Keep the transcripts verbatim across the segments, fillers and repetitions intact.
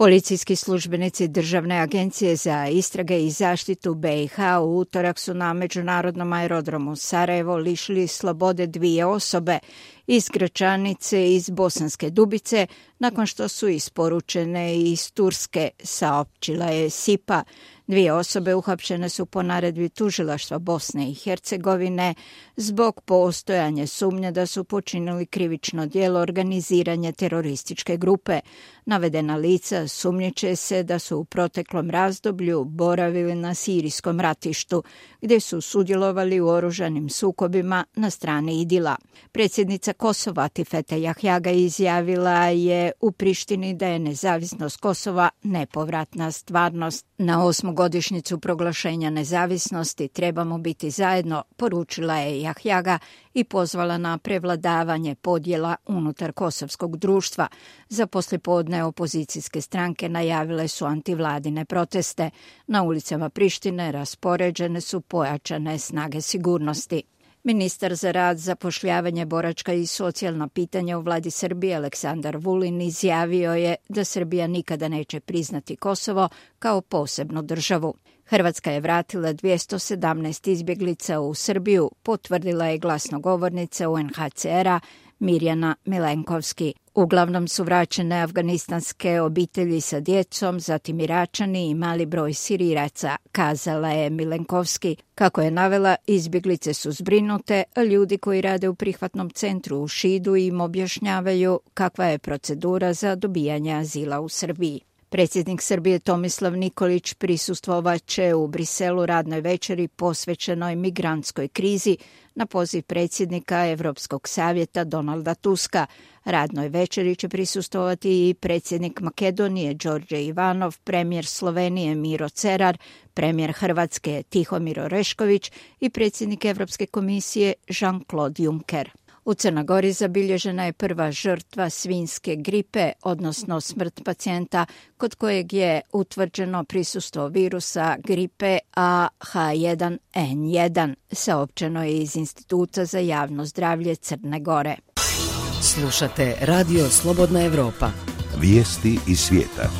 Policijski službenici Državne agencije za istrage i zaštitu B i H u utorak su na međunarodnom aerodromu Sarajevo lišili slobode dvije osobe iz Gračanice iz Bosanske Dubice nakon što su isporučene iz Turske, saopćila je SIPA. Dvije osobe uhapšene su po naredbi tužilaštva Bosne i Hercegovine zbog postojanja sumnje da su počinili krivično djelo organiziranja terorističke grupe. Navedena lica sumnjiče se da su u proteklom razdoblju boravili na sirijskom ratištu, gdje su sudjelovali u oružanim sukobima na strani Idila. Predsjednica Kosova Atifete Jahjaga izjavila je u Prištini da je nezavisnost Kosova nepovratna stvarnost. Na osmogodišnjicu proglašenja nezavisnosti trebamo biti zajedno, poručila je Jahjaga i pozvala na prevladavanje podjela unutar kosovskog društva. Za poslijepodne opozicijske stranke najavile su antivladine proteste. Na ulicama Prištine raspoređene su pojačane snage sigurnosti. Ministar za rad, zapošljavanje, boračka i socijalna pitanja u vladi Srbije Aleksandar Vulin izjavio je da Srbija nikada neće priznati Kosovo kao posebnu državu. Hrvatska je vratila dvjesto sedamnaest izbjeglica u Srbiju, potvrdila je glasnogovornica U N H C R-a Mirjana Milenkovski. Uglavnom su vraćene afganistanske obitelji sa djecom, zatim Iračani i mali broj Siriraca, kazala je Milenkovski. Kako je navela, izbjeglice su zbrinute, a ljudi koji rade u prihvatnom centru u Šidu im objašnjavaju kakva je procedura za dobijanje azila u Srbiji. Predsjednik Srbije Tomislav Nikolić prisustvovat će u Briselu radnoj večeri posvećenoj migrantskoj krizi na poziv predsjednika Europskog savjeta Donalda Tuska. Radnoj večeri će prisustvovati i predsjednik Makedonije Đorđe Ivanov, premijer Slovenije Miro Cerar, premijer Hrvatske Tihomir Orešković i predsjednik Europske komisije Jean-Claude Juncker. U Crnoj Gori zabilježena je prva žrtva svinjske gripe, odnosno smrt pacijenta kod kojeg je utvrđeno prisustvo virusa gripe A H jedan N jedan, saopćeno je iz Instituta za javno zdravlje Crne Gore. Slušate Radio Slobodna Evropa. Vijesti iz svijeta.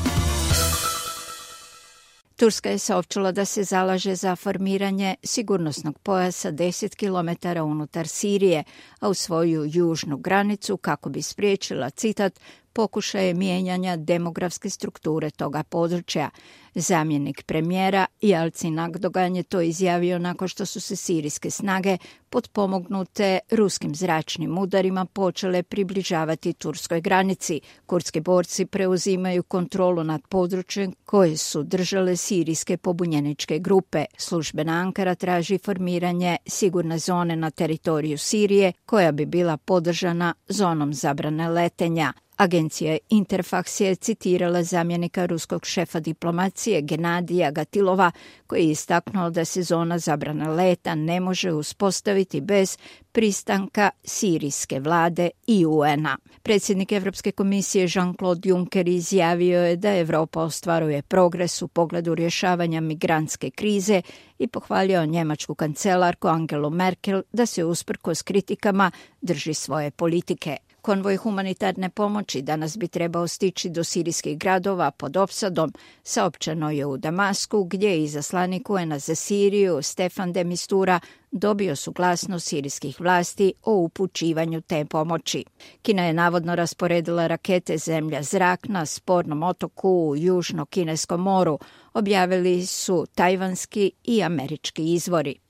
Turska je saopćila da se zalaže za formiranje sigurnosnog pojasa deset kilometara unutar Sirije, a u svoju južnu granicu kako bi spriječila, citat, pokušaje mijenjanja demografske strukture toga područja. Zamjenik premijera Jalcin Akdogan je to izjavio nakon što su se sirijske snage potpomognute ruskim zračnim udarima počele približavati turskoj granici. Kurdski borci preuzimaju kontrolu nad područjem koje su držale sirijske pobunjeničke grupe. Službena Ankara traži formiranje sigurne zone na teritoriju Sirije koja bi bila podržana zonom zabrane letenja. Agencija Interfax je citirala zamjenika ruskog šefa diplomacije Genadija Gatilova koji je istaknuo da se zona zabrane leta ne može uspostaviti bez pristanka sirijske vlade i U N-a. Predsjednik Europske komisije Jean-Claude Juncker izjavio je da Europa ostvaruje progres u pogledu rješavanja migrantske krize i pohvalio njemačku kancelarku Angelu Merkel da se usprkos kritikama drži svoje politike. Konvoj humanitarne pomoći danas bi trebao stići do sirijskih gradova pod opsadom, saopćeno je u Damasku, gdje je izaslanik U N-a za Siriju Stefan de Mistura dobio suglasnost sirijskih vlasti o upućivanju te pomoći. Kina je navodno rasporedila rakete zemlja-zrak na spornom otoku u Južno-Kineskom moru, objavili su tajvanski i američki izvori.